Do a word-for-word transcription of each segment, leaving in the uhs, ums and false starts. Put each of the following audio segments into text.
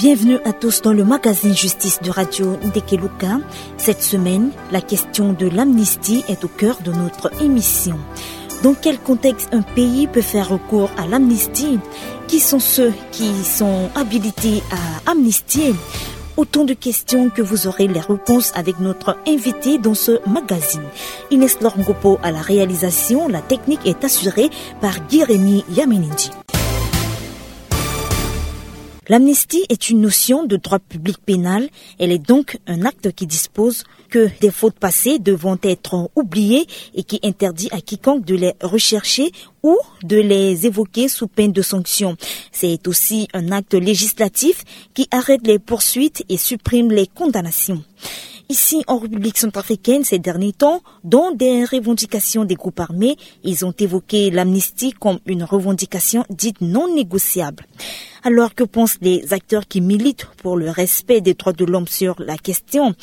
Bienvenue à tous dans le magazine Justice de Radio Ndekeluka. Cette semaine, la question de l'amnistie est au cœur de notre émission. Dans quel contexte un pays peut faire recours à l'amnistie ? Qui sont ceux qui sont habilités à amnistier ? Autant de questions que vous aurez les réponses avec notre invité dans ce magazine. Inès Lorngopo à la réalisation, la technique est assurée par Guy-Rémy Yamenindi. L'amnistie est une notion de droit public pénal. Elle est donc un acte qui dispose que des fautes passées devront être oubliées et qui interdit à quiconque de les rechercher ou de les évoquer sous peine de sanction. C'est aussi un acte législatif qui arrête les poursuites et supprime les condamnations. Ici, en République centrafricaine, ces derniers temps, dans des revendications des groupes armés, ils ont évoqué l'amnistie comme une revendication dite non négociable. Alors, que pensent les acteurs qui militent pour le respect des droits de l'homme sur la question ?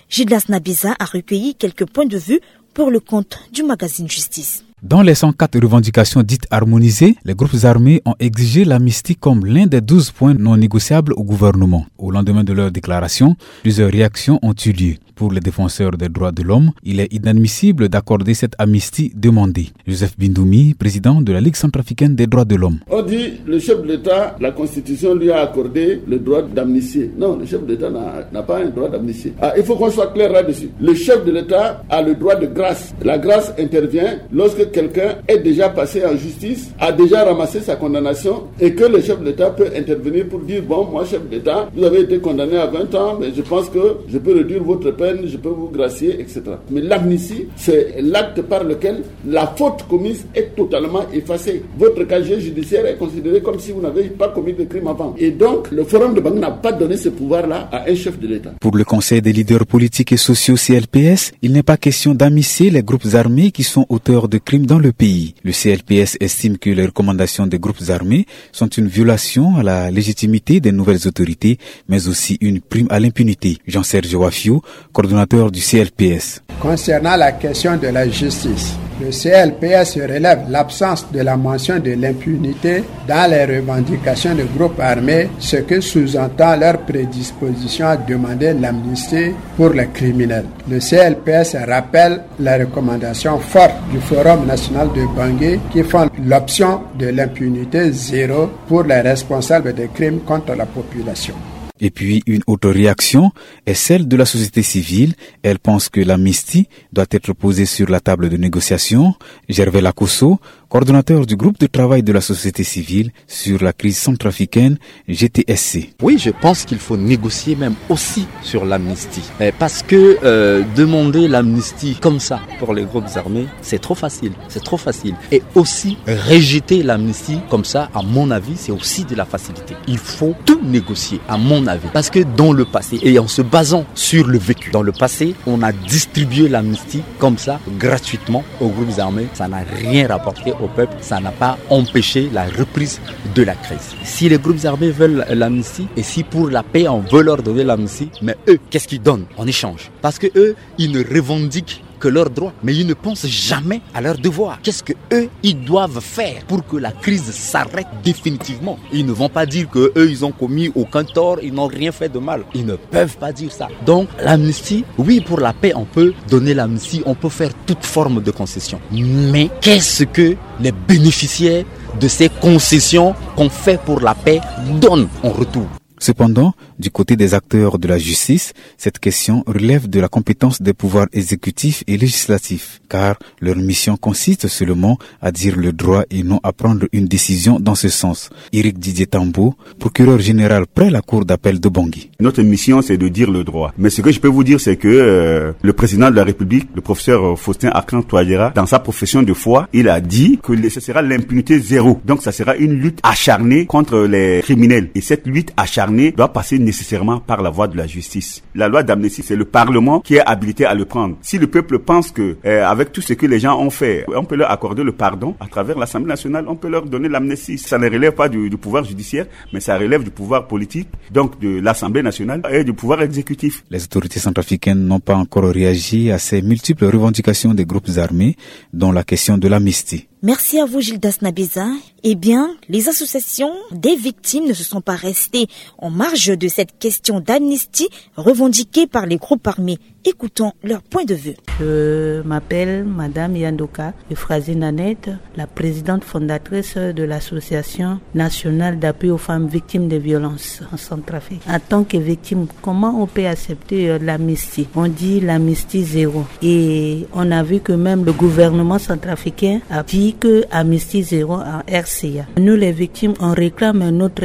Gildas Nabiza a recueilli quelques points de vue pour le compte du magazine Justice. Dans les cent quatre revendications dites harmonisées, les groupes armés ont exigé l'amnistie comme l'un des douze points non négociables au gouvernement. Au lendemain de leur déclaration, plusieurs réactions ont eu lieu. Pour les défenseurs des droits de l'homme, il est inadmissible d'accorder cette amnistie demandée. Joseph Bindoumi, président de la Ligue centrafricaine des droits de l'homme. On dit, le chef de l'État, la Constitution lui a accordé le droit d'amnistier. Non, le chef de l'État n'a n'a pas un droit d'amnistier. Ah, il faut qu'on soit clair là-dessus. Le chef de l'État a le droit de grâce. La grâce intervient lorsque quelqu'un est déjà passé en justice, a déjà ramassé sa condamnation et que le chef de l'État peut intervenir pour dire, bon, moi, chef d'État, vous avez été condamné à vingt ans, mais je pense que je peux réduire votre peine, je peux vous gracier, et cetera. Mais l'amnistie, c'est l'acte par lequel la faute commise est totalement effacée. Votre casier judiciaire est considéré comme si vous n'avez pas commis de crime avant. Et donc, le Forum de Bangui n'a pas donné ce pouvoir-là à un chef de l'État. Pour le Conseil des leaders politiques et sociaux C L P S, il n'est pas question d'amnistier les groupes armés qui sont auteurs de crimes dans le pays. Le C L P S estime que les recommandations des groupes armés sont une violation à la légitimité des nouvelles autorités, mais aussi une prime à l'impunité. Jean-Serge Wafio, coordonnateur du C L P S. Concernant la question de la justice, le C L P S relève l'absence de la mention de l'impunité dans les revendications de groupes armés, ce que sous-entend leur prédisposition à demander l'amnistie pour les criminels. Le C L P S rappelle les recommandations fortes du Forum national de Bangui qui font l'option de l'impunité zéro pour les responsables des crimes contre la population. Et puis, une autre réaction est celle de la société civile. Elle pense que l'amnistie doit être posée sur la table de négociation. Gervais Lakosso, coordonnateur du groupe de travail de la société civile sur la crise centrafricaine, G T S C. Oui, je pense qu'il faut négocier même aussi sur l'amnistie. Eh, parce que, euh, demander l'amnistie comme ça pour les groupes armés, c'est trop facile. C'est trop facile. Et aussi, rejeter l'amnistie comme ça, à mon avis, c'est aussi de la facilité. Il faut tout négocier, à mon avis. Parce que dans le passé, et en se basant sur le vécu, dans le passé, on a distribué l'amnistie comme ça, gratuitement, aux groupes armés. Ça n'a rien rapporté au peuple. Ça n'a pas empêché la reprise de la crise. Si les groupes armés veulent l'amnistie, et si pour la paix, on veut leur donner l'amnistie, mais eux, qu'est-ce qu'ils donnent en échange ? Parce que eux, ils ne revendiquent que leurs droits, mais ils ne pensent jamais à leurs devoirs. Qu'est-ce que eux, ils doivent faire pour que la crise s'arrête définitivement ? Ils ne vont pas dire que eux, ils ont commis aucun tort, ils n'ont rien fait de mal. Ils ne peuvent pas dire ça. Donc, l'amnistie, oui, pour la paix, on peut donner l'amnistie, on peut faire toute forme de concession. Mais qu'est-ce que les bénéficiaires de ces concessions qu'on fait pour la paix donnent en retour ? Cependant, du côté des acteurs de la justice, cette question relève de la compétence des pouvoirs exécutifs et législatifs, car leur mission consiste seulement à dire le droit et non à prendre une décision dans ce sens. Éric Didier Tambo, procureur général près la cour d'appel de Bangui. Notre mission, c'est de dire le droit. Mais ce que je peux vous dire, c'est que, euh, le président de la République, le professeur, euh, Faustin Archange Touadéra, dans sa profession de foi, il a dit que le- ce sera l'impunité zéro. Donc, ça sera une lutte acharnée contre les criminels. Et cette lutte acharnée doit passer nécessairement par la voie de la justice. La loi d'amnistie, c'est le Parlement qui est habilité à le prendre. Si le peuple pense que, euh, avec tout ce que les gens ont fait, on peut leur accorder le pardon à travers l'Assemblée nationale, on peut leur donner l'amnistie. Ça ne relève pas du, du pouvoir judiciaire, mais ça relève du pouvoir politique, donc de l'Assemblée nationale et du pouvoir exécutif. Les autorités centrafricaines n'ont pas encore réagi à ces multiples revendications des groupes armés, dont la question de l'amnistie. Merci à vous, Gildas Nabeza. Eh bien, les associations des victimes ne se sont pas restées en marge de cette question d'amnistie revendiquée par les groupes armés. Écoutons leur point de vue. Je m'appelle Madame Yandoka Euphrasie Nanette, la présidente fondatrice de l'Association nationale d'appui aux femmes victimes de violences en Centrafrique. En tant que victime, comment on peut accepter euh, l'amnistie ? On dit l'amnistie zéro. Et on a vu que même le gouvernement centrafricain a dit que amnistie zéro en R C A. Nous les victimes, on réclame notre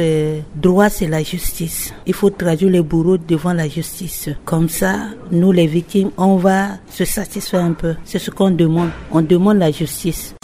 droit, c'est la justice. Il faut traduire les bourreaux devant la justice. Comme ça, nous les victimes, on va se satisfaire un peu. C'est ce qu'on demande. On demande la justice.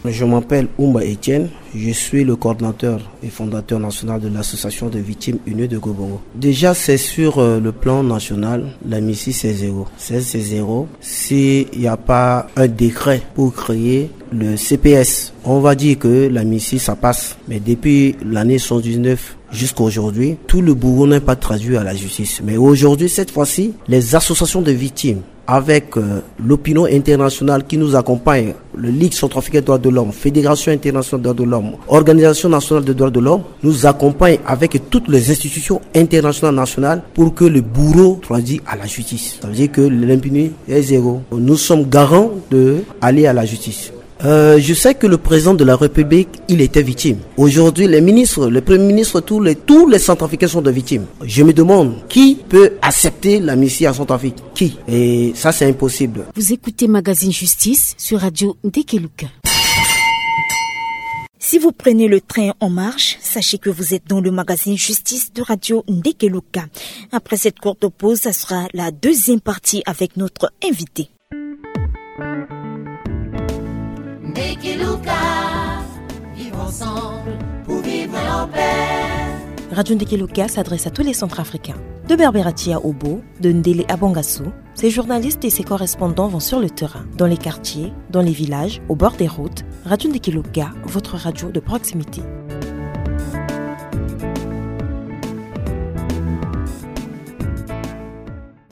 Je m'appelle Oumba Etienne, je suis le coordinateur et fondateur national de l'association des victimes unies de Gobongo. Déjà, c'est sur euh, le plan national, l'amnistie c'est zéro. C'est c'est zéro. S'il n'y a pas un décret pour créer le C P S, on va dire que l'amnistie ça passe. Mais depuis l'année soixante-dix-neuf jusqu'à aujourd'hui, tout le bourreau n'est pas traduit à la justice. Mais aujourd'hui, cette fois-ci, les associations de victimes avec euh, l'opinion internationale qui nous accompagne, le Ligue centrafricaine des droits de l'homme, Fédération internationale des droits de l'homme, Organisation nationale des droits de l'homme, nous accompagne avec toutes les institutions internationales nationales pour que le bourreau traduit à la justice. Ça veut dire que l'impunité est zéro. Nous sommes garants de aller à la justice. Euh, je sais que le président de la République, il était victime. Aujourd'hui, les ministres, le premier ministre, tous les, tous les Centrafricains sont des victimes. Je me demande qui peut accepter l'amnistie en Centrafrique. Qui ? Et ça, c'est impossible. Vous écoutez Magazine Justice sur Radio Ndekeluka. Si vous prenez le train en marche, sachez que vous êtes dans le magazine Justice de Radio Ndekeluka. Après cette courte pause, ça sera la deuxième partie avec notre invité. Ndekeluka, vivre ensemble pour vivre en paix. Radio Ndekeluka s'adresse à tous les Centrafricains. De Berberatia à Obo, de Ndele à Bangassou, ses journalistes et ses correspondants vont sur le terrain, dans les quartiers, dans les villages, au bord des routes. Radio Ndekeluka, votre radio de proximité.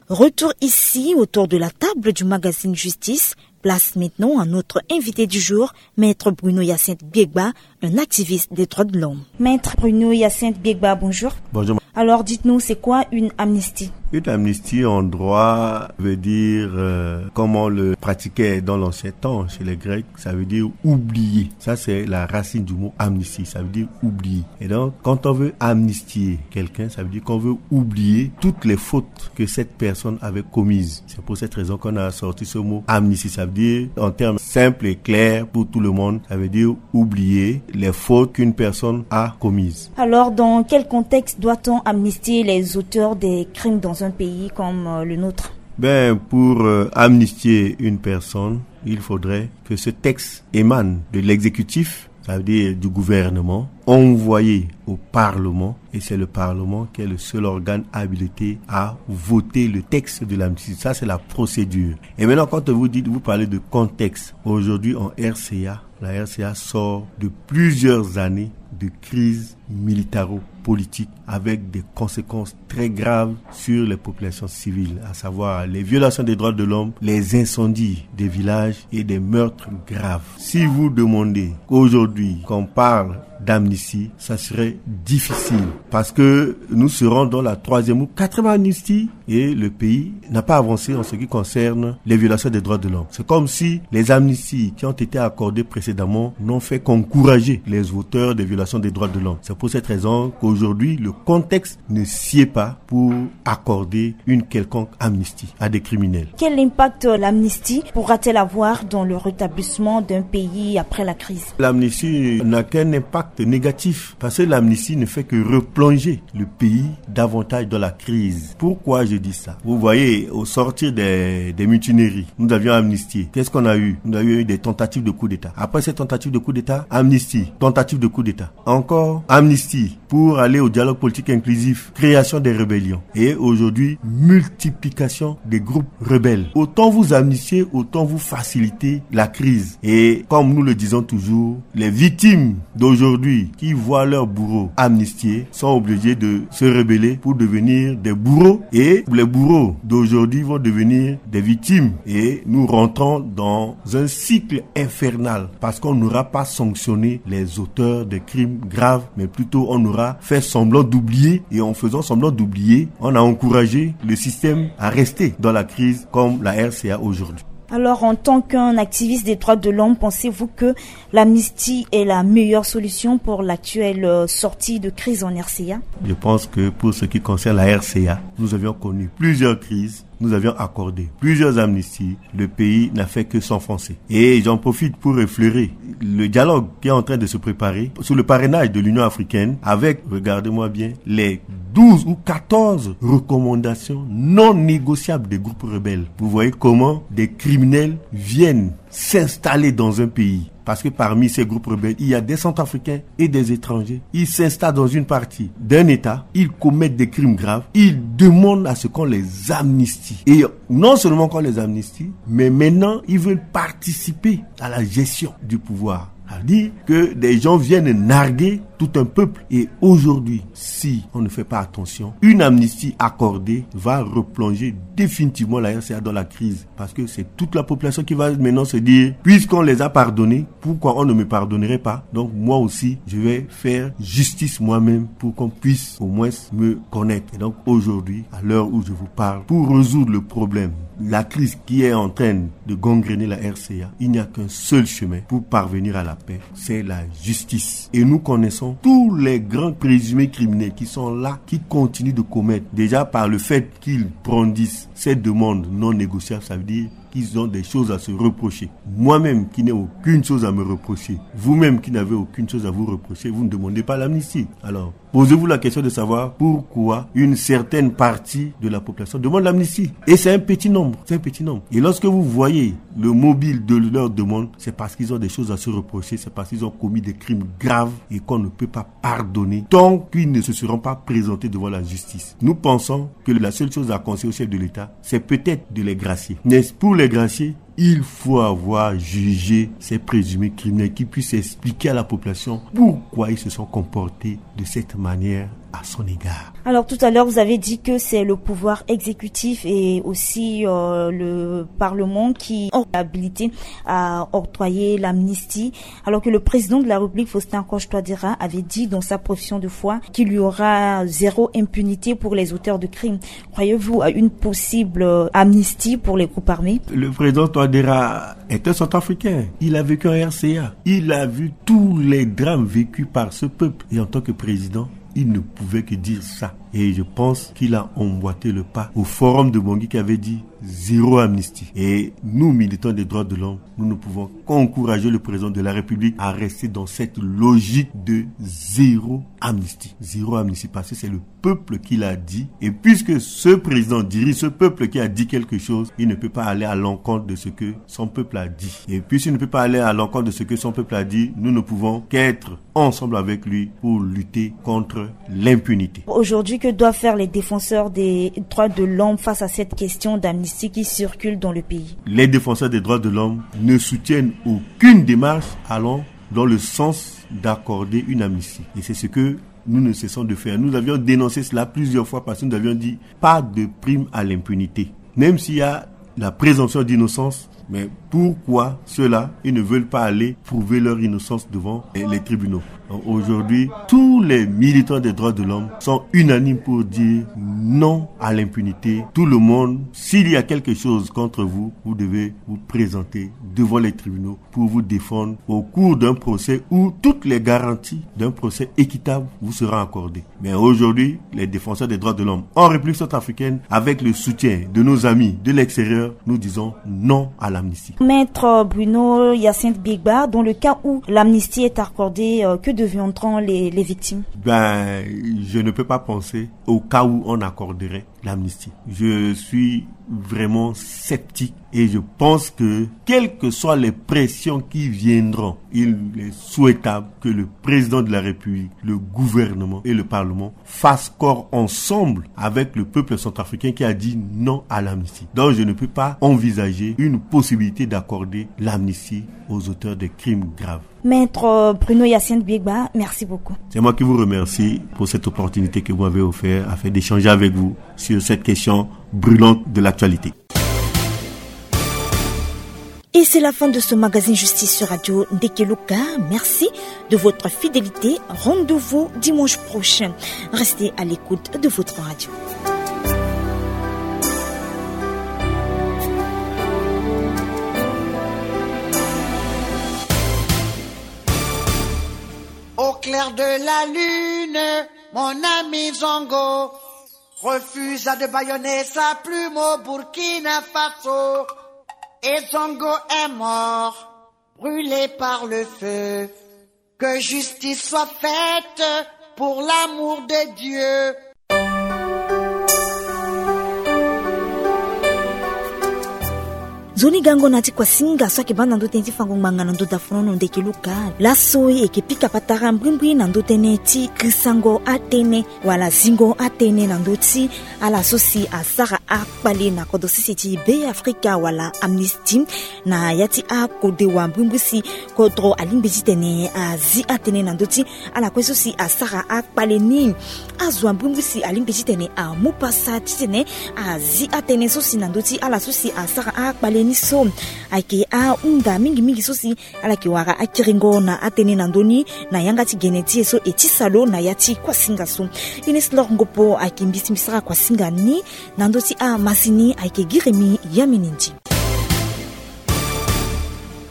Retour ici autour de la table du magazine Justice. Place maintenant à notre invité du jour, Maître Bruno Hyacinthe Biegba, un activiste des droits de l'homme. Maître Bruno Hyacinthe Biegba, bonjour. Bonjour. Alors dites-nous, c'est quoi une amnistie ? Une amnistie en droit veut dire, euh, comme on le pratiquait dans l'ancien temps chez les Grecs, ça veut dire oublier. Ça, c'est la racine du mot amnistie, ça veut dire oublier. Et donc, quand on veut amnistier quelqu'un, ça veut dire qu'on veut oublier toutes les fautes que cette personne avait commises. C'est pour cette raison qu'on a sorti ce mot amnistie. Ça veut dire, en termes simples et clairs pour tout le monde, ça veut dire oublier les fautes qu'une personne a commises. Alors, dans quel contexte doit-on amnistier les auteurs des crimes dans un pays comme euh, le nôtre ? Ben, pour euh, amnistier une personne, il faudrait que ce texte émane de l'exécutif, ça veut dire du gouvernement, envoyé au Parlement, et c'est le Parlement qui est le seul organe habilité à voter le texte de l'amnistie. Ça, c'est la procédure. Et maintenant, quand vous dites, vous parlez de contexte, aujourd'hui en R C A, la R C A sort de plusieurs années de crise militaro-politique avec des conséquences très graves sur les populations civiles, à savoir les violations des droits de l'homme, les incendies des villages et des meurtres graves. Si vous demandez aujourd'hui qu'on parle d'amnistie, ça serait difficile parce que nous serons dans la troisième ou quatrième amnistie et le pays n'a pas avancé en ce qui concerne les violations des droits de l'homme. C'est comme si les amnisties qui ont été accordées précédemment n'ont fait qu'encourager les auteurs des violations des droits de l'homme. C'est pour cette raison qu'aujourd'hui, le contexte ne sied pas pour accorder une quelconque amnistie à des criminels. Quel impact l'amnistie pourra-t-elle avoir dans le rétablissement d'un pays après la crise ? L'amnistie n'a qu'un impact négatif parce que l'amnistie ne fait que replonger le pays davantage dans la crise. Pourquoi je dis ça ? Vous voyez, au sortir des, des mutineries, nous avions amnistié. Qu'est-ce qu'on a eu ? Nous avions eu des tentatives de coup d'État. Après ces tentatives de coup d'État, amnistie, tentative de coup d'État. Encore amnistie pour aller au dialogue politique inclusif, création des rébellions et aujourd'hui multiplication des groupes rebelles. Autant vous amnistiez, autant vous facilitez la crise. Et comme nous le disons toujours, les victimes d'aujourd'hui qui voient leurs bourreaux amnistiés sont obligés de se rebeller pour devenir des bourreaux. Et les bourreaux d'aujourd'hui vont devenir des victimes. Et nous rentrons dans un cycle infernal parce qu'on n'aura pas sanctionné les auteurs de crimes graves, mais plutôt on aura fait semblant d'oublier. Et en faisant semblant d'oublier, on a encouragé le système à rester dans la crise comme la R C A aujourd'hui. Alors, en tant qu'un activiste des droits de l'homme, pensez-vous que l'amnistie est la meilleure solution pour l'actuelle, euh, sortie de crise en R C A ? Je pense que pour ce qui concerne la R C A, nous avions connu plusieurs crises, nous avions accordé plusieurs amnisties. Le pays n'a fait que s'enfoncer. Et j'en profite pour effleurer le dialogue qui est en train de se préparer sur le parrainage de l'Union africaine avec, regardez-moi bien, les douze ou quatorze recommandations non négociables des groupes rebelles. Vous voyez comment des criminels viennent s'installer dans un pays. Parce que parmi ces groupes rebelles, il y a des Centrafricains et des étrangers. Ils s'installent dans une partie d'un État, ils commettent des crimes graves, ils demandent à ce qu'on les amnistie. Et non seulement qu'on les amnistie, mais maintenant, ils veulent participer à la gestion du pouvoir. Ça veut dire que des gens viennent narguer tout un peuple. Et aujourd'hui, si on ne fait pas attention, une amnistie accordée va replonger définitivement la R C A dans la crise. Parce que c'est toute la population qui va maintenant se dire, puisqu'on les a pardonnés, pourquoi on ne me pardonnerait pas ? Donc moi aussi, je vais faire justice moi-même pour qu'on puisse au moins me connaître. Et donc aujourd'hui, à l'heure où je vous parle, pour résoudre le problème, la crise qui est en train de gangréner la R C A, il n'y a qu'un seul chemin pour parvenir à la paix, c'est la justice. Et nous connaissons tous les grands présumés criminels qui sont là, qui continuent de commettre, déjà par le fait qu'ils brandissent ces demandes non négociables, ça veut dire qu'ils ont des choses à se reprocher. Moi-même qui n'ai aucune chose à me reprocher, vous-même qui n'avez aucune chose à vous reprocher, vous ne demandez pas l'amnistie. Alors, posez-vous la question de savoir pourquoi une certaine partie de la population demande l'amnistie. Et c'est un petit nombre, c'est un petit nombre. Et lorsque vous voyez le mobile de leur demande, c'est parce qu'ils ont des choses à se reprocher, c'est parce qu'ils ont commis des crimes graves et qu'on ne peut pas pardonner tant qu'ils ne se seront pas présentés devant la justice. Nous pensons que la seule chose à conseiller au chef de l'État, c'est peut-être de les gracier. Mais pour les gracier, il faut avoir jugé ces présumés criminels qui puissent expliquer à la population pourquoi ils se sont comportés de cette manière à son égard. Alors tout à l'heure, vous avez dit que c'est le pouvoir exécutif et aussi, euh, le Parlement qui ont l'habilité à octroyer l'amnistie, alors que le président de la République, Faustin Archange Touadéra, avait dit dans sa profession de foi qu'il y aura zéro impunité pour les auteurs de crimes. Croyez-vous à une possible, euh, amnistie pour les groupes armés ? Le président Touadéra est un Centrafricain. Il a vécu en R C A. Il a vu tous les drames vécus par ce peuple. Et en tant que président, il ne pouvait que dire ça. Et je pense qu'il a emboîté le pas au forum de Bangui qui avait dit zéro amnistie. Et nous, militants des droits de l'homme, nous ne pouvons qu'encourager le président de la République à rester dans cette logique de zéro amnistie. Zéro amnistie, parce que c'est le peuple qui l'a dit. Et puisque ce président dirige ce peuple qui a dit quelque chose, il ne peut pas aller à l'encontre de ce que son peuple a dit. Et puisqu'il ne peut pas aller à l'encontre de ce que son peuple a dit, nous ne pouvons qu'être ensemble avec lui pour lutter contre l'impunité. Aujourd'hui, que doivent faire les défenseurs des droits de l'homme face à cette question d'amnistie qui circule dans le pays ? Les défenseurs des droits de l'homme ne soutiennent aucune démarche allant dans le sens d'accorder une amnistie. Et c'est ce que nous ne cessons de faire. Nous avions dénoncé cela plusieurs fois parce que nous avions dit pas de prime à l'impunité. Même s'il y a la présomption d'innocence, mais pourquoi ceux-là, ils ne veulent pas aller prouver leur innocence devant les, les tribunaux ? Donc aujourd'hui, tous les militants des droits de l'homme sont unanimes pour dire non à l'impunité. Tout le monde, s'il y a quelque chose contre vous, vous devez vous présenter devant les tribunaux pour vous défendre au cours d'un procès où toutes les garanties d'un procès équitable vous seront accordées. Mais aujourd'hui, les défenseurs des droits de l'homme en République centrafricaine, avec le soutien de nos amis de l'extérieur, nous disons non à l'amnistie. Maître Bruno Hyacinthe Biegba, dans le cas où l'amnistie est accordée, euh, que deviendront les, les victimes ? Ben, je ne peux pas penser au cas où on accorderait l'amnistie. Je suis vraiment sceptique et je pense que, quelles que soient les pressions qui viendront, il est souhaitable que le président de la République, le gouvernement et le Parlement fassent corps ensemble avec le peuple centrafricain qui a dit non à l'amnistie. Donc, je ne peux pas envisager une possibilité d'accorder l'amnistie aux auteurs des crimes graves. Maître Bruno Hyacinthe Biegba, merci beaucoup. C'est moi qui vous remercie pour cette opportunité que vous m'avez offert afin d'échanger avec vous sur cette question brûlante de l'actualité. Et c'est la fin de ce magazine Justice sur Radio Ndekeluka. Merci de votre fidélité. Rendez-vous dimanche prochain. Restez à l'écoute de votre radio. Au clair de la lune, mon ami Zongo refusa de bâillonner sa plume au Burkina Faso. Et Zongo est mort, brûlé par le feu. Que justice soit faite pour l'amour de Dieu. Nzoni gango na ti kuasinga so ayeke baa na ndö tënë ti fango ngbanga na ndö dafonono Ndekeluka. Laso e yeke pika patara mbrimbri na ndö tënë ti grisango atënë wala zingo atënë na ndö ti ala so si asara akpale na kodro sese ti Beafrika wala Amnesty, na ya ti akode wa mbrimbri si kodro alingbi titene azi atënë na ndö ti ala kue so si asara akpale ni. Azo wa mbrimbri si alingbi titene amu pasa titene azi atënë so si na ndö ti ala so si asara akpale ni so. Ayeke ahunda mingi mingi so si ala yeke wara akiringo na atënë na ndö ni na yanga ti gene ti e so e tisa lo na ya ti kuasinga so. Ines Lor Ngopo ayeke mbisi mbisara kuasinga ni. Na ndö ti amasini ayeke Giremi Yaminindi.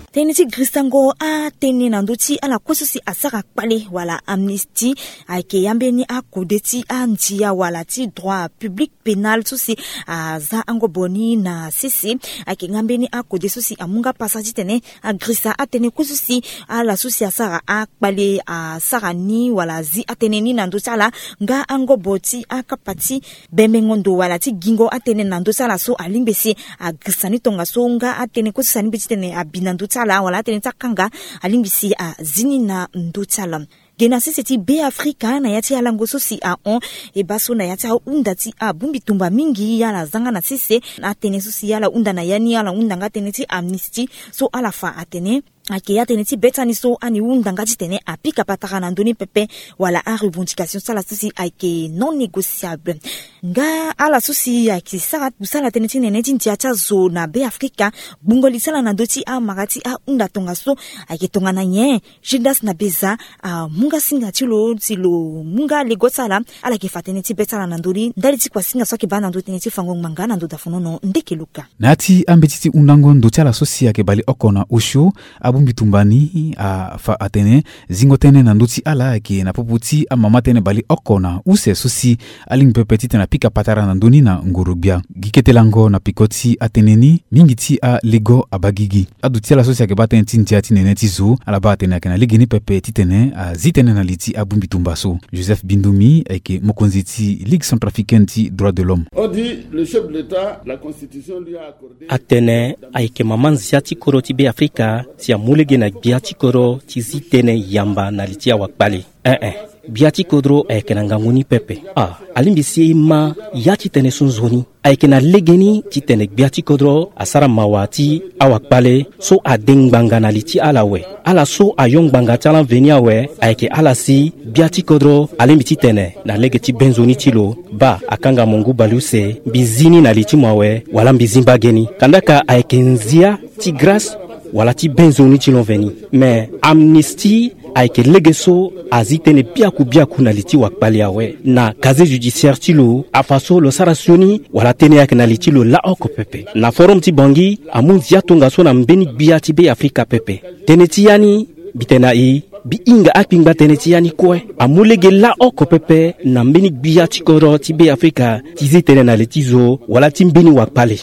Tënë ti grisango atënë na ndö ti ala kue so si asara kpale wala Amnesty ayeke ya mbeni akode ti andia wala ti droit public pénal so si aza angobo ni na sese. Ayeke nga mbeni akode so si amu nga pasa titene agrisa atënë kue so si ala so si asara akpale asara ni wala azi atënë ni na ndö ti ala. Nga angobo ti akapa ti bembengo ndo wala ti gingo atënë na ndö ti ala so alingbi si agrisa ni tongaso nga atënë kue so si alingbi titene abi na ndö ti ala wala atënë ti akanga alingbi si azi ni na ndö ti ala. Ge na sese ti Beafrika na ya ti alango so si ahon e baa so na ya ti ahunda ti abongbi tumba mingi ala za nga na sese. Atënë so si ala hunda na ya ni ala hunda nga tënë ti Amnesty so ala fa atene ayeke ya tënë ti be ti ani so ani hunda nga titene apika patara na ndö ni pepe wala arevendication ti ala so si ayeke non négociable. Nga ala so si ayeke sara kusala tënë ti nene ti ndia ti azo na Beafrika gbungo li ti ala na ndö ti amara ti ahunda tongaso ayeke tongana nyen? Judas na beza amu nga singa ti lo si lo mu nga lego ti ala. Ala yeke fa tënë ti be ti ala na ndö ni ndali ti kuasinga so ayeke baa na ndö tënë ti fango ngbanga na ndö dafonono Ndekeluka. Na ya ti ambeti ti hundango ndo ti ala so si ayeke baleoko na osio, abongbi tumba ni afa atene zingo tënë na ndö ti ala ayeke na popo ti amama tënë baleoko na use so si alingbi pepe titene apika patara na ndö ni na ngoro-gbia. Gi kete lango na peko ti atënë ni mingi ti alego abaa gigi. Aduti ala so si ayeke baa tënë ti ndia ti nene ti zo ala baa atene ayeke na legeni pepe titene azi tënë na li ti abongbi tumba so. Joseph Bindumi ayeke mokonzi ti Ligue centrafricaine ti droit de l'homme. On dit, le chef de l'État, la constitution lui a accordé. Atene ayeke mama nzia ti kodro ti Beafrika si amu lege na gbia ti kodro ti zi tënë yamba na li ti awakpale. Ee, gbia ti kodro ayeke na ngangu ni pepe. Ah, alingbi si e ma ya ti tene so nzoni. Ayeke na legeni titene gbia ti kodro asara mawa ti awakpale so ade ngbanga na li ti ala awe. Ala so ayo ngbanga ti ala mveni awe ayeke ala si gbia ti kodro alingbi titene na lege ti be nzoni ti lo baa akanga mo ngu baleuse, mbi zi ni na li ti mo awe wala mbi zi mbage ni. Kandaka ayeke nzia ti grâce wala ti be nzoni ti lo mveni. Me Amnesty ayeke lege so azi tënë biaku biaku na li ti wakpale awe. Na casier judiciaire ti lo afa so lo sara sioni wala tënë ayeke na li ti lo laa oko pepe. Na forum ti Bangui amu nzia tongaso na mbeni gbia ti Beafrika pepe. Tënë ti ya ni mbi tene na e, mbi hinga akpingba tënë ti ya ni kue. Amu lege laa oko pepe na mbeni gbia ti kodro ti Beafrika ti zi tënë na li ti zo wala ti mbeni wakpale.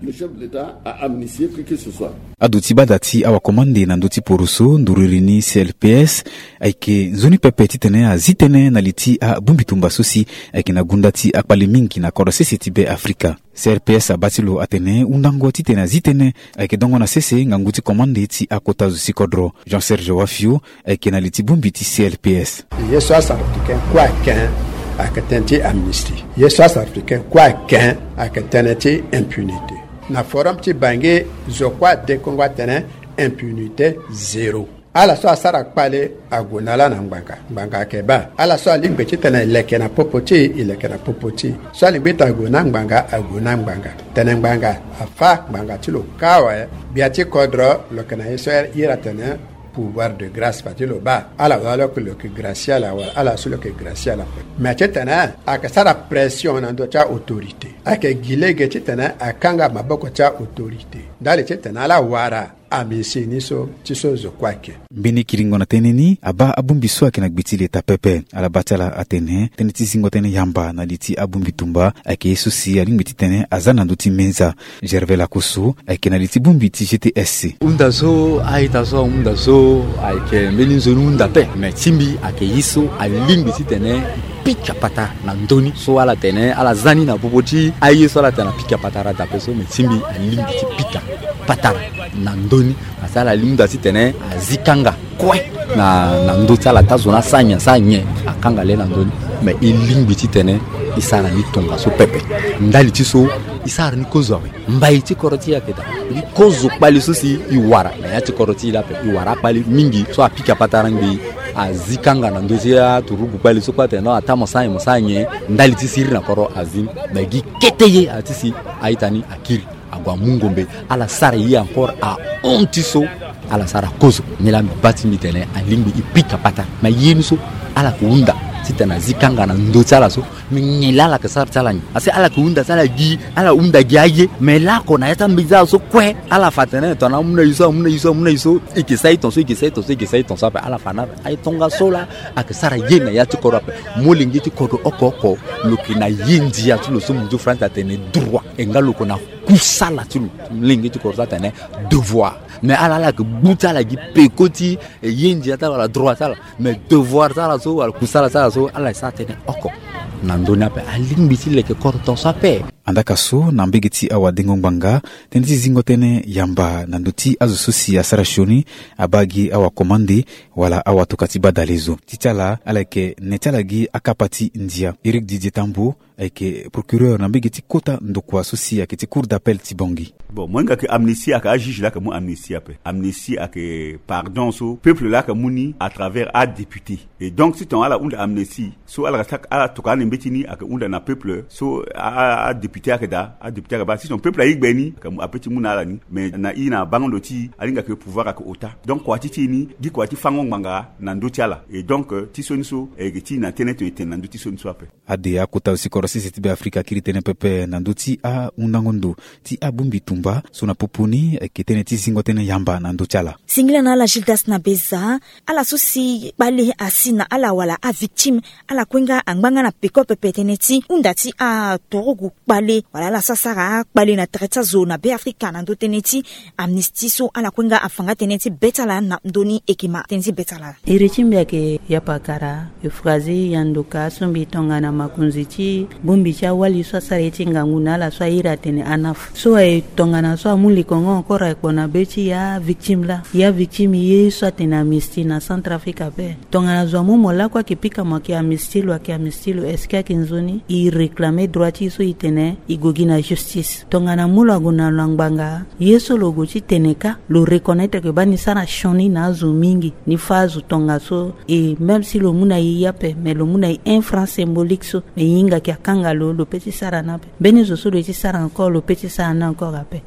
Le chef de l'État a amnistié qui que ce soit. Ado ti bada ti awakomande na ndö ti poroso nduru iri ni C L P S ayeke nzoni pepe titene azi tënë na li ti abongbi tumba so si ayeke na gunda ti akpale mingi na kodro sese ti Be Afrika. C R P S abaa ti lo atene hundango titene azi tënë ayeke dongo na sese ngangu ti komande ti akota zo ti kodro. Jean Serge Wafio ayeke na li ti bongbi ti C R P S. Ye so asara africain kue aken ayeke tënë ti amnistie. Ye so asara africain kue aken ayeke tënë ti impunité. Na forum ti Bangui, zo kue adekongo atene impunité zéro. Ala so asara kpale ague na ala na ngbanga, ngbanga ayeke baa. Ala so alingbi titene e leke na popo ti e, e leke na popo ti e. So alingbi titene ague na ngbanga, ague na ngbanga. Tene ngbanga afâ, ngbanga ti lo kâ awe. Gbia ti kodro lo yeke na ye so iri atene pouvoir de grâce, fade ti lo baa ala wala lo yeke, lo yeke gracier ala wala ala so lo yeke gracier ala ape. Me titene ayeke sara pression na ndö ti autorité, ayeke gi lege titene akanga maboko ti autorité ndali titene ala wara amnistie ni so ti so zo kue ayeke. Mbeni kiringo na tënë ni abaa abongbi so ayeke na gbe ti leta pepe. Ala baa ti ala atene tënë ti zingo tënë yamba na li ti abongbi tumba ayeke ye so si alingbi titene aza na ndö ti menza. Gervais Lakosso ayeke na li ti bongbi ti G T S C. Hunda so a-ita so ahunda so ayeke mbeni nzoni hunda ape. Me ti mbi ayeke ye so alingbi titene pika patara na ndö ni so ala tene ala za ni na popo ti aye so ala tene apika patara dape so. Me ti mbi alingbi ti pika patara na ndö ni. Asi ala hunda titene azi kanga kue na, na ndö ti ala, taa zo ni asara nyen, asara nyen, akanga le na ndö ni. Me e lingbi titene e sara ni tongaso pepe. Ndali ti so e sara ni kozo awe. Mbai ti kodro ti e ayeke daa. Gi kozo kpale so si e wara na ya ti kodro ti e la ape. E wara akpale mingi so apika patara ngbii, azi kanga na ndö ti aturugu kpale so kue atene non, ataa mo sara nyen, mo sara nyen, ndali ti siriri na kodro azi ni. Me gi kete ye ati si a-ita ni akiri ague amu ngombe, ala sara ye encore ahon ti so ala sara kozo. Nilaa mbi baa ti mbi tene alingbi e pika patara. Me ye ni so ala yeke hunda titene azi kanga na ndö ti ala so. Me nyen laa ala yeke sara ti ala nyen? Asi ala yeke hunda ti ala gi, ala hunda gi aye. Me laoko na ya ti ambi ti ala so kue ala fa atene tongana amu na ye so, amu na ye so, amu na ye so, e yeke sara e ton so, e yeke sara e ton so, e yeke sara e ton so ape. Ala fa na aye tongaso laa ayeke sara ye na ya ti kodro ape. Molenge ti kodro oko oko lo yeke na ye ndia ti lo so munzu France atene droit. E nga lo yeke na kusala ti lo. Molenge ti kodro so atene devoir. Me ala, ala yeke gbu ti ala gi peko ti ye ndia ti ala wala droit ti ala. Me devoir ti ala so wala kusala ti ala so ala sara tënë oko na ndö ni ape. Alingbi ti leke kodro tongaso ape. Andaa ka so na mbege ti awadengo ngbanga, tënë ti zingo tënë yamba na ndö ti azo so si asara sioni abaa gi awakomande wala awatoka ti badalezo. Ti ti ala ala yeke ne ti ala gi akapa ti ndia. Éric Didier Tambo ayeke procureur na mbege ti kota ndokua so si ayeke ti cour d'appel ti Bangui. Bon, mo hinga ke amnistie ayeke ajuge laa ayeke mu amnistie ape. Amnistie ayeke pardon so peuple laa ayeke mu ni à travers adéputé. Et donc si tongana ala hunda amnistie so ala sa, ala tokua ande mbeti ni ayeke hunda na peuple so a, a, adéputé ayeke daa, adéputé ayeke baa. Si son peuple aye gbe ni ayeke mu, ape ti mu na ala ni. Mais na i na bango ndo ti i alinga ke pouvoir ayeke ota. Donc kua ti ti i ni gi kua ti fango ngbanga na ndö ti ala. Et donc, euh, ti so ni so e yeke ti i na tënë tene e tene na ndö ti so ni so ape. Ade akota zo ti kodro sese ti Be Afrika akiri tënë pepe na ndö ti ahundango ndo ti abongbi tumba so na popo ni ayeke tënë ti zingo tënë yamba na ndö ti ala. Singila na ala Gildas na Beza, ala so si kpale asi na ala wala avictime, ala kue nga angba nga na peko pepe tënë ti hunda ti aturugu kpale wala ala so asara kpale na tere ti azo na Be Afrika na ndö tënë ti amnistie so ala kue nga afa nga tënë ti be ti ala na ndö ni. E yeke ma tënë ti be ti ala. Iri ti mbi ayeke Yapakara Euphrasie Yandoka so mbi tongana makonzi ti bongbi ti awali so asara ye ti ngangu na ala so a iri atene ANAF. So aye tongana so amu likongo encore aye kpo na be ti ya victime laa. Ya victime ye so atene amnistie na Centrafrique ape. Tongana zo amu mo lakue ayeke pika mo ayeke amnistie lo, ayeke amnistie lo, est-ce que ayeke nzoni? E réclamer droit ti e so e tene e gue gi na justice. Tongana mu lo ague na lo na ngbanga, ye so lo gue ti tene kâ, lo reconnaître ke baa ni sara sioni na azo mingi, ni fâ azo tongaso. Et même si lo mu na e ye ape, mais lo mu na e un franc symbolique so, mais e hinga ke akanga lo, lo peut ti sara ni ape. Mbeni zo so lo ye ti sara encore, lo peut ti sara ni encore ape.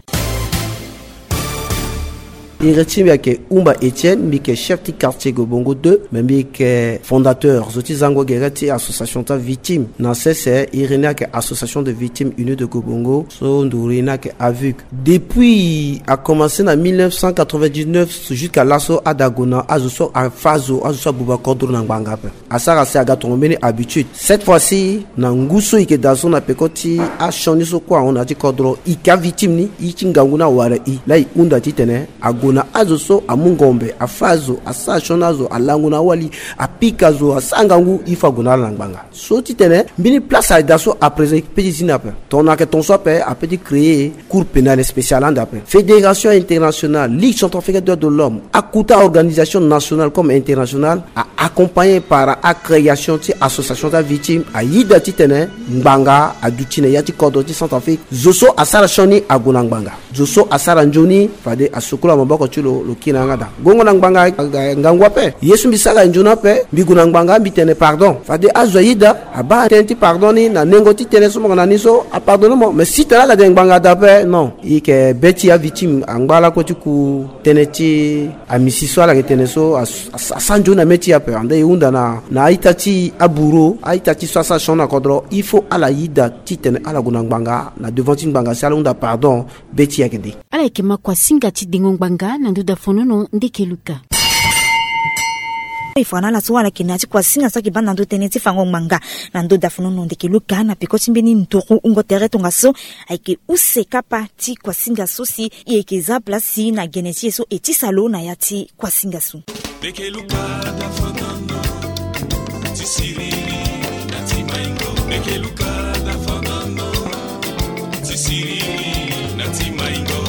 Iri ti mbi ayeke Umba Etienne, mbi yeke chef ti quartier Gobongo deux, mais mbi yeke fondateur zo ti zango gere ti association ti avictime. Na sese iri ni ayeke Association de Victimes Unies de Gobongo, so nduru ni ayeke avuc. Depuis a commencé na mille neuf cent quatre-vingt-dix-neuf jusqu'à laso, ada gue na azo so afa azo, azo so abuba kodro na ngbanga ape. Asara si aga tongo mbeni habitude. Cette fois-ci, na ngu so e yeke daa so na peko ti asioni so kue ahon na ya ti kodro, e yeke avictime ni, e ti ngangu ni awara e. Laa e hunda titene ague na azo so amu ngombe, afa azo, asara sioni azo, alango na awali, apika azo, asara ngangu, il faut ague na ala na ngbanga. So titene mbeni place ayeke daa so à présent e peut ti zi ni ape. Tongana ayeke ton so ape, a peut ti créer Cour pénale spéciale ande ape. Fédération internationale, Ligue centrafricaine des droits de l'homme, akota organisation nationale comme internationale, a accompagné par acréation ti association ti avictime, ayeda titene ngbanga aduti na ya ti kodro ti Centrafrique. Zo so asara sioni ague na ngbanga. Zo so asara nzoni, fade asukula maboko ti lo, lo kiri na yanga daa. Gongo na ngbanga, ngangu ape. Ye so mbi sara nzoni ape, mbi gue na ngbanga, mbi tene pardon. Fade azo ayeda, abaa tënë ti pardon ni na nengo ti tënë so mo yeke na ni so, apardonne mo. Mais si tene ala tene ngbanga daa ape, non. E yeke be ti avictime angba lakue ti ku tënë ti amnistie so ala yeke tene so, as-, as-, asara nzoni na mê ti e ape. Ande e hunda na, na a-ita ti abourreau, a-ita ti so asara sioni na kodro, il faut ala yeda titene ala gue na ngbanga, na devant ti ngbanga si ala hunda pardon. Be ti e ayeke nde. Ala yeke ma kuasinga ti dengo ngbanga na ndö dafonono ndeke luka. E fa na ala so ala yeke na ya ti kuasinga so ayeke baa na ndö tënë ti fango ngbanga na ndö dafonono ndeke luka na peko ti mbeni nduru wungo tere tongaso. Ayeke use kapa ti kuasinga so si e yeke za place na gene ti e so e tisa lo na ya ti kuasinga so. Meke luka dafonono ti siriri na ti maingo. Meke luka dafonono ti siriri na ti maingo.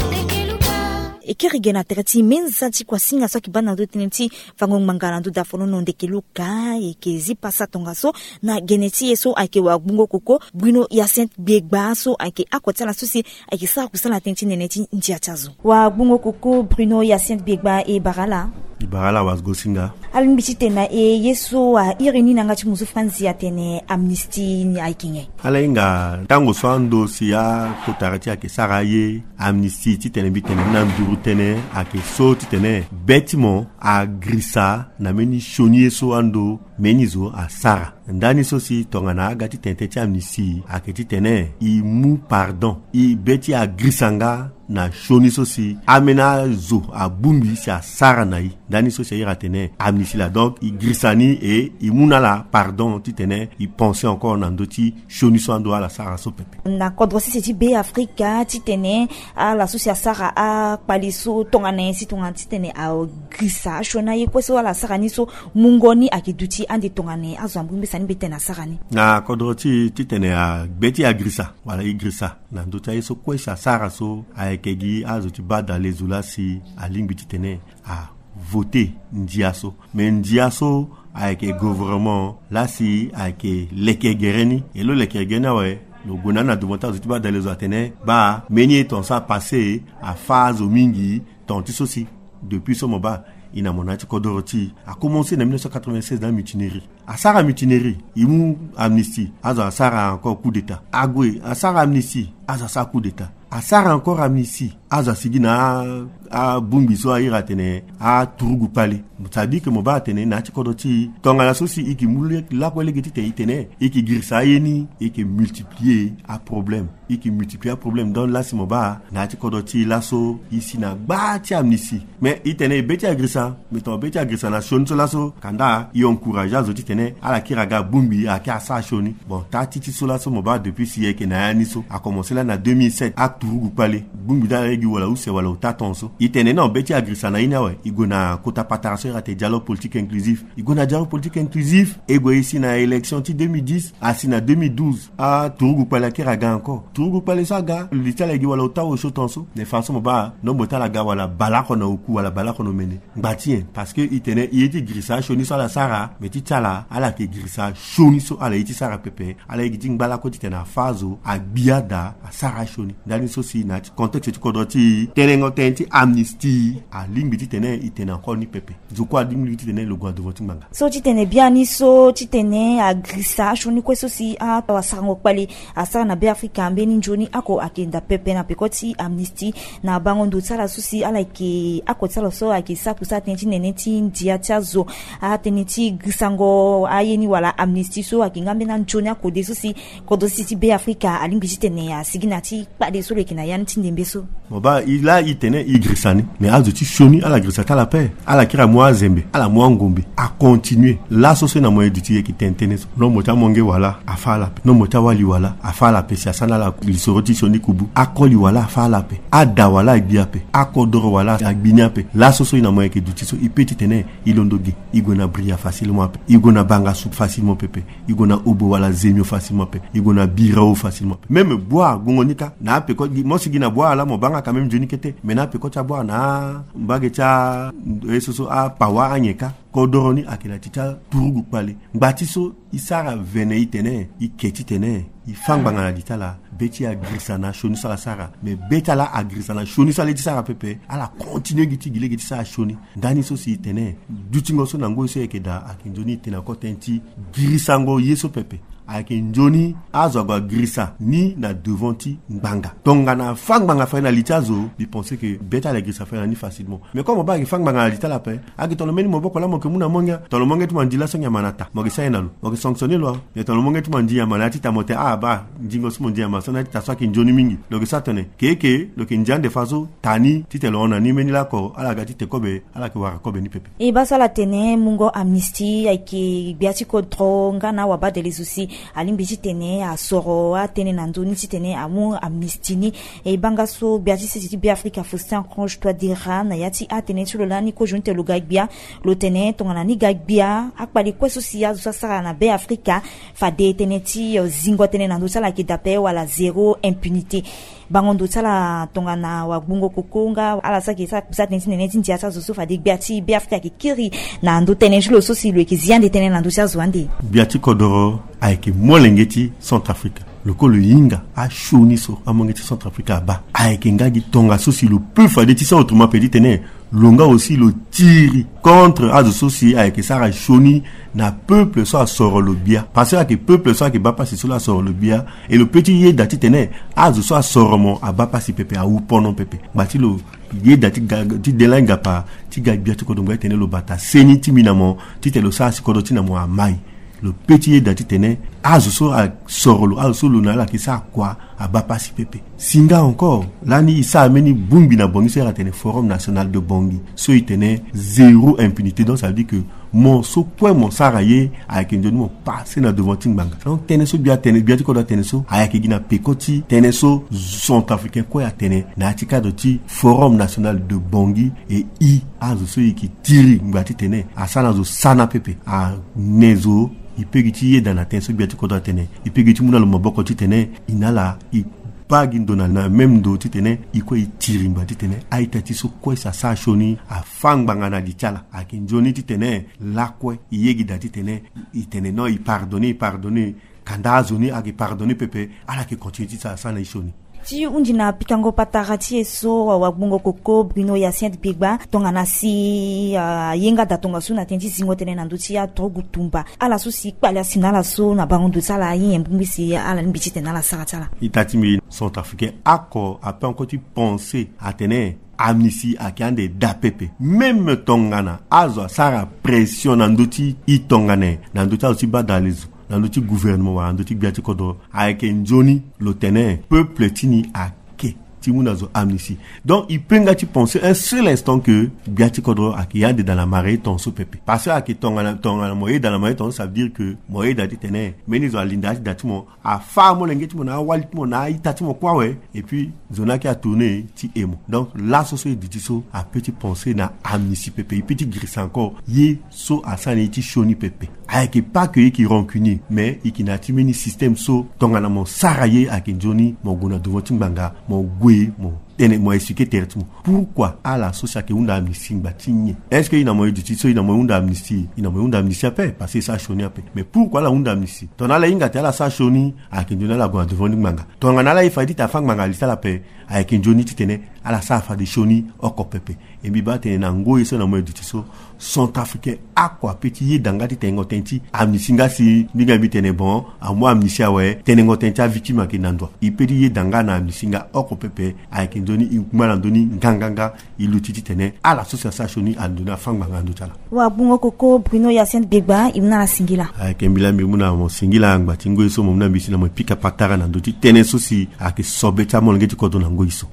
E kiri ge na tere ti menza ti kuasinga so ayeke baa na ndö tënë ti fango ngbanga na ndö dafonono ndeke luka. E yeke zi pasa tongaso na gene ti e so ayeke wagbungo koko Bruno Hyacinthe Biegba so ayeke oko ti ala so si ayeke sara kusala na tënë ti nene ti ndia ti azo. Wagbungo koko Bruno Hyacinthe Biegba, e bara ala. E bara ala wagosinga. Alingbi titene na e ye so a iri ni na yanga ti muzu franzi atene amnistie ni ayeke nyen? Ala hinga ntango so ando si akotara ti e ayeke sara aye, amnistie titene mbi tene ni na nduru tënë ayeke so titene be ti mo agirisa na mbeni sioni ye so ando mbeni zo asara. Ndani so si tongana aga ti tene tënë ti amnistie ayeke titene e mu pardon, e be ti e agirisa nga na sioni so si ambeni azo abongbi si asara na e. Ndani so si a iri atene amnistie laa. Donc e girisa ni e e mu na ala pardon titene e pense encore na ndö ti sioni so ando ala sara so pepe. Na kodro sese ti Be Afrika titene ala so si asara akpali so tongana nyen si tongana titene agirisa asioni aye kue so ala sara ni so mungo ni ayeke duti ande tongana nyen? Azo ambongbi sani mbi tene asara ni. Na kodro ti titene agbe ti agirisa wala e girisa na ndö ti aye so kue si asara so ayeke gi azo ti baa dalezo laa si alingbi titene avote ndia so. Me ndia so ayeke gouvernement laa si ayeke leke gere ni. E lo leke gere ni awe, lo gue na ni na devant ti azo ti baa dalezo atene baa mbeni ye ton so apasse afa azo mingi ton ti so si. Depuis so mo baa e na mo na ya ti kodoro ti e, akomense na mille neuf cent quatre-vingt-seize na mutinerie. Asara mutinerie, e mu amnistie, azo asara encore coup d'état. Ague asara amnistie, azo asara coup d'état. Asara encore amnistie, azo asigi na a, abongbi so a iri atene aturugu kpale. C'est-à-dire que mo baa atene na ya ti kodro ti e tongana so si e yeke mu lakue lege titene e tene e yeke girisa aye ni, e yeke multiplier aproblème. E yeke multiplier aproblème. Donc laa si mo baa na ya ti kodro ti e laso e si na gba ti amnistie. Mais e tene e be ti agirisa, mais tongana be ti agirisa na sioni so laso, kanda e encourager azo titene ala kiri aga bongbi ayeke asara sioni. Bon, taa ti ti so laso mo baa depuis si e yeke na ya ni so, akomense laa na deux mille sept, aturugu kpale. Bongbi ti ala lege wala use wala ota ton so. E tene non, be ti agirisa na ye ni awe, e gue na kota patara so e iri atene dialogue politique inclusif. E gue na dialogue politique inclusif, e gue e si na élection ti deux mille dix, asi na deux mille douze. Aturugu kpale akiri aga encore. Turugu kpale so aga, li ti ala e gi wala ota osio ton so. Na e fa so mo baa nombo ti ala aga wala baleoko na oku wala baleoko na omene. Ngba Ati nyen? Parce que i tene i ye ti girisa asioni so ala sara, me ti ti ala ala yeke girisa asioni so ala ye ti sara pepe. Ala ye gi ti ngba lakue titene afa azo, agbi ada, asara asioni. Ndani so si na ya ti contexte ti kodro ti tenengo tënë ti amnistie alingbi titene i tene encore ni pepe. Zo kue alingbi titene lo gue na devant ti ngbanga. So titene biani so titene agirisa asioni kue so si awasarango kpale asara na Be Afrika mbeni nzoni oko ayeke daa pepe na peko ti amnistie. Na bango ndo ti ala so si ala yeke oko ti ala so ayeke sara kusala tënë ti nene ti ndia ti azo, atënë ti girisango aye ni wala amnistie so ayeke nga mbeni anzoni akode so si kodro ti Be Afrika alingbi titene asigi na ya ti kpale so lo yeke na ya ni ti ndembe so. Mo baa, i laa i tene i girisa ni, me azo ti sioni ala girisa ti ala ape. Ala kiri amu azembe, ala mu angombe, acontinue. Laso so e na mo e duti e yeke tene tënë so. Nombo ti amonge wala afa ala ape. Nombo ti awali wala afa ala ape si asara na ala lisoro ti sioni kubu. Akoli wala afa ala ape. Ada wala agbi ape. Akodoro wala agbi ni ape. Laso so e na mo e yeke duti so, i pe titene i londo ge, i gue na Bria facilement ape. I gue na Bangassou facilement pepe. I gue na Obo wala Zemio facilement ape. I gue na Birao facilement ape. Même Bouar, gongo ni kâ, na apeko, mo si gi na Bouar laa mo baa nga quand même nzoni kete. Me na apeko ti aBouar na mbage ti a, e so so aPawa anyen kâ. Kodoro ni ayeke na ti ti aturugu kpale. Ngba ti so i sara vene i tene, i ke titene i fâ ngbanga na li ti ala. Be ti agirisa na sioni so ala sara. Me be ti ala agirisa na sioni so ala ye ti sara pepe. Ala continue gi ti gi lege ti sara sioni. Ndani so si i tene dutingo so na ngoi so e yeke daa ayeke nzoni i tene encore tënë ti girisango ye so pepe. Ayeke nzoni azo ague agirisa ni na devant ti ngbanga. Tongana afâ ngbanga fade na li ti azo, mbi pense que be ti ala girisa fade na ni facilement. Mais comme mo baa ayeke fâ ngbanga na li ti ala ape, ayeke tongana mbeni maboko laa mo yeke mu na monge. Tongana monge ti mo andi laso nyen ama na ta, mo yeke sara ye na lo, mo yeke sanctionner lo. Mais tongana monge ti mo andi ama na ya ti ta, mo tene ah baa, ndingo so mo ndi ama so na ya ti ta so ayeke nzoni mingi, lo yeke sara tene keke lo yeke ndia ande fa so ta ni titene lo hon na ni mbeni lako ala ga ti te kobe, ala yeke wara kobe ni pepe. E baa so ala tene mungo amnistie ayeke gbia ti kodro nga na awabadele zo si alingbi titene asoro atënë na ndö ni titene amu amnistie ni. E baa nga so gbia ti sese ti Be Afrika Faustin Archange Touadéra na ya ti atënë ti lo lani kozo ni tene lo ga gbia. Lo tene tongana ni ga gbia, akpale kue so si azo so asara na Be Afrika fade tënë ti, eh, zingo tënë na ndö ti ala ayeke daa ape wala zéro impunité. Bango ndo ti ala tongana wagbongo koko nga ala so ayeke sara kusala tënë ti nene ti ndia ti azo so fade gbia ti Be Afrika ayeke kiri na ndö tënë ti lo so si lo yeke zi ande tënë na ndö ti azo ande. Gbia ti kodoro ayeke molenge ti Centrafrique. Lo kue lo hinga asioni so amonge ti Centrafrique abaa. Ayeke nga gi tongaso si lo peut fade ti sara autrement pe ti tene lo nga aussi lo tiri contre azo so si ayeke sara sioni na peuple so asoro lo gbia. Parce que ayeke peuple so ayeke baa pasi so lo asoro lo gbia. E lo peut ti yeda titene azo so asoro mo abaa pasi pepe, awu pono pepe. Ngba ti lo yeda ti ga, ti de lani gapa ti ga gbia ti kodro ngba ti tene lo bata seni ti mbi na mo titene lo sara si kodro ti na mo amai. Lo peut ti yeda titene azo so asoro lo, azo so lo na ala yeke sara kua, abaa pasi pepe. Si nga encore lani e sara mbeni bongbi na Bangui so e yeke tene Forum National de Bangui, so e tene zéro impunité. Donc ça veut dire que mo so kue mo sara ye ayeke nzoni mo passe na devant ti ngbanga. Donc tënë so gbia atene, gbia ti kodro atene so ayeke gi na peko ti tënë so Centrafricain kue atene na ya ti cadre ti Forum National de Bangui. E i azo so e yeke tiri ngba titene asara na zo sana pepe, ane zo. E peut gi ti yeda na tënë so gbia ti kodro atene. E peut gi ti mu na lo maboko titene e na ala e baa gi ndo na, na même ndo titene e kue e tiri ngba titene a-ita ti so kue si asara sioni afâ ngbanga na li ti ala. Ayeke nzoni titene lakue e ye gi daa titene e tene non, e pardonner, e pardonner. Kanda azo ni ayeke pardonner pepe, ala yeke continuer ti sara, sara na e sioni. Ti hunzi na pikango patara ti e so, wa, wagbongo koko Bruno Hyacinthe Biegba, tongana si, ah, aye nga daa tongaso na tënë ti zingo tënë na ndö ti aturugu tumba. Ala so si kpale asi na ala so na bango ndo ti ala, aye nyen bongbi si ala lingbi titene ala sara ti ala? Ita ti mbi, Centrafricain oko ape encore ti penser atene amnistie ayeke ande daa pepe. Même tongana azo asara pression na ndö ti e tongana nyen, na ndö ti azo ti badalezo, na ndö ti gouvernement wala na ndö ti gbia ti kodro, ayeke nzoni lo tene peuple ti ni ake ti mu na zo amnistie. Donc e peut nga ti penser un seul instant que gbia ti kodro ayeke yande dans la marée tongaso pepe. Parce que ayeke tongana, tongana mo yeda na marée tongaso, ça veut dire que mo yeda titene mbeni zo alinda ya ti da ti mo, afâ amolenge ti mo na awali ti mo na a-ita ti mo kue awe. Et puis zo ni ayeke atourner ti e mo. Donc laso so e duti so apeut ti penser na amnistie pepe. E peut ti girisa encore ye so asara na e ti sioni pepe. Ayeke pas que e yeke rancunier, mais e yeke na ya ti mbeni système so tongana mo sara ye ayeke nzoni mo gue na devant ti ngbanga, mo gue mo tene mo expliquer tere ti mo. Pourquoi ala so si ayeke hunda amnistie ngba ti nyen? Est-ce que i na mo e duti so i na mo e hunda amnistie? I na mo e hunda amnistie ape parce que e sara sioni ape. Mais pourquoi ala hunda amnistie? Tongana ala hinga ti ala sara sioni, ayeke nzoni ala gue na devant ni ngbanga. Tongana ala ye fade ti tene afâ ngbanga li ti ala ape, ayeke nzoni titene ala sara fade sioni oko pepe. E mbi baa tene na ngoi so na mo e duti so, centrafricain oko ape ti yeda nga ti tenengo tënë ti amnistie nga si mbi nga mbi tene bon, amu amnistie awe, tenengo tënë ti avictime ayeke na ndo. E pe ti yeda nga na amnistie nga oko pepe. Ayeke nzoni e ngba na ndö ni nganganga. E luti titene ala so si asara sioni ando ni afâ ngbanga na ndö ti ala. Wagbongo koko Bruno Hyacinthe Gbegba, e mu na ala singila. Ayeke mbi laa mbi mu na mo singila ngba ti ngoi so mo mu na mbi si na mo e pika patara na ndö ti tënë so si ayeke sobe ti amolenge ti kodro na ngoi so.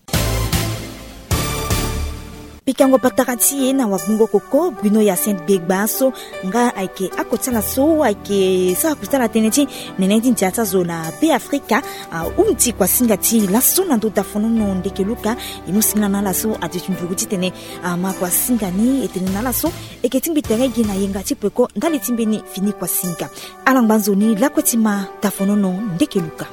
Pikango patara ti e na wagbongo koko Bruno Hyacinthe Gbegba so nga ayeke oko ti ala so ayeke sara kota na tënë ti nene ti ndia ti azo na Be Afrika. Ahunzi kuasinga ti e laso na ndö dafonono ndeke luka. E mu singila na ala so aduti nduru titene ama kuasinga ni. E tene na ala so e yeke tingbi tere gi na yenga ti peko ndali ti mbeni fini kuasinga. Ala ngba nzoni lakue ti ma dafonono ndeke luka.